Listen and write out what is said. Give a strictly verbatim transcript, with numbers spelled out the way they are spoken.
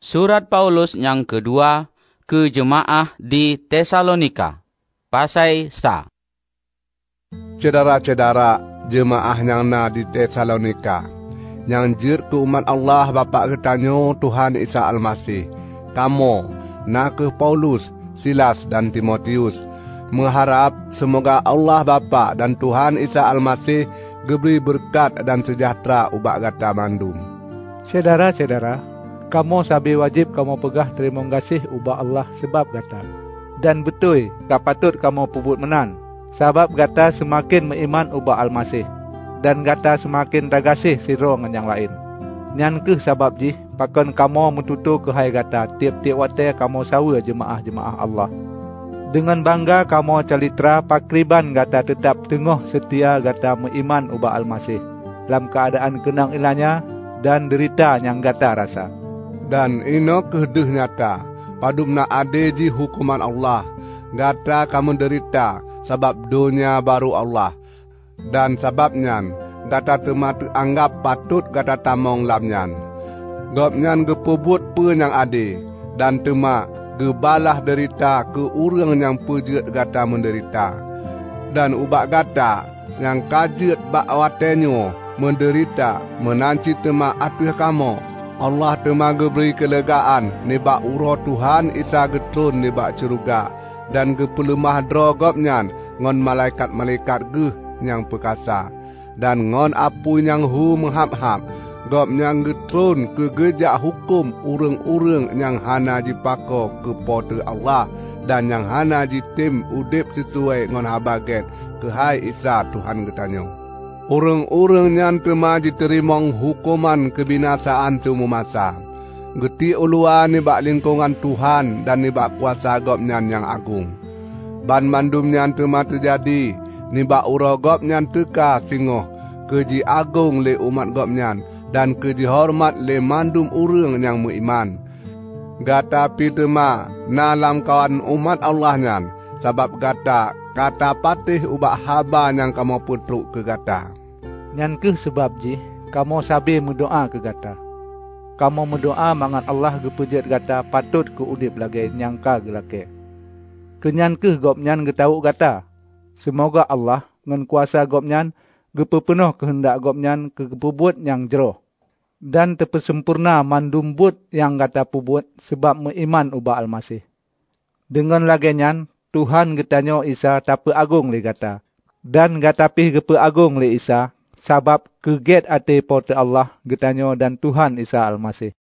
Surat Paulus nyang keudua keu jeumaáh di Tesalonika. Pasai sa. Syedara-syedara jeumaáh nyang na di Tesalonika, nyang jeuet keu umat Allah Bapak geutanyoe Tuhan Isa Almaseh, kamoe, na kheueh Paulus, Silas dan Timotius, meuharab seumoga Allah Bapak dan Tuhan Isa Almaseh geubri beureukat dan seujahteura ubak gata mandum. Syedara-syedara, kamoe sabe wajéb kamoe peugah teurimong gaséh ubak Allah sabab gata. Dan beutôi ka patot kamoe peubuet meunan, sabab gata seumaken meuiman ubak Almaseh, dan gata seumaken tagaséh sidroe ngon nyang laén. Nyan kheueh sabab jih pakon kamoe meututoe keuhai gata tieb-tieb watée kamoe saweue jeumaáh-jeumaáh Allah. Deungon bangga kamoe calitra pakriban gata teutab teungoh seutia gata meuiman ubak Almaseh, lam keuadaan keunong iéleumanya dan deurita nyang gata rasa. Dan inoe kheueh deuh nyata, padub na adé jih huköman Allah, gata ka meudeurita sabab donya barô Allah. Dan sabab nyan, gata teuma teuanggab patot gata tamong lam nyan. Gobnyan geupeubuet peue nyang adé, dan teuma geubalaih deurita keu ureuëng nyang peujeuet gata meudeurita. Dan ubak gata nyang ka jeuet bak watée nyoe meudeurita, meunan cit teuma ateueh kamoe, Allah teuma geubri keuleugaan nibak uroe Tuhan Isa geutron nibak syeuruga, dan geupeuleumah droe Gobnyan ngon malaikat-malaikat Geuh nyang peukasa. Dan ngon apui nyang hu meuhab-hab, Gobnyan geutron keu geujak huköm ureuëng-ureuëng nyang hana jipakoe keu Po teu Allah dan nyang hana jitem udeb sisuai ngon Haba Gét keuhai Isa Tuhan geutanyoe. Ureuëng-ureuëng nyan teuma jiteurimong huköman keubinasaan siumu masa. Geutiek uluwa nibak lingkongan Tuhan dan nibak kuasa Gobnyan nyang agong. Banmandum nyan teuma teujadi nibak uroe Gobnyan teuka singoh keu jiagong lé umat Gobnyan dan keu jihoreumat lé mandum ureuëng nyang meuiman. Gata pi teuma na lamkawan umat Allah nyan, sabab gata ka tapatéh ubak haba nyang kamoe peutrok keu gata. Nyan kheueh sabab jih kamoe sabe meudoá keu gata. Kamoe meudoá mangat Allah geupeujeuet gata patot keu udeb lagée nyang ka geulakée. Keu nyan kheueh Gobnyan geutawök gata. Seumoga Allah ngon kuasa Gobnyan geupeupeunoh keuheundak Gobnyan keu geupeubuet nyang jroh, dan teupeusampoereuna mandum buet nyang gata peubuet sabab meuiman ubak Almaseh. Deungon lagée nyan, Tuhan geutanyoe Isa tapeuagong lé gata, dan gata pih geupeuagong lé Isa sabab keu gét até Po teu Allah geutanyoe dan Tuhan Isa Almaseh.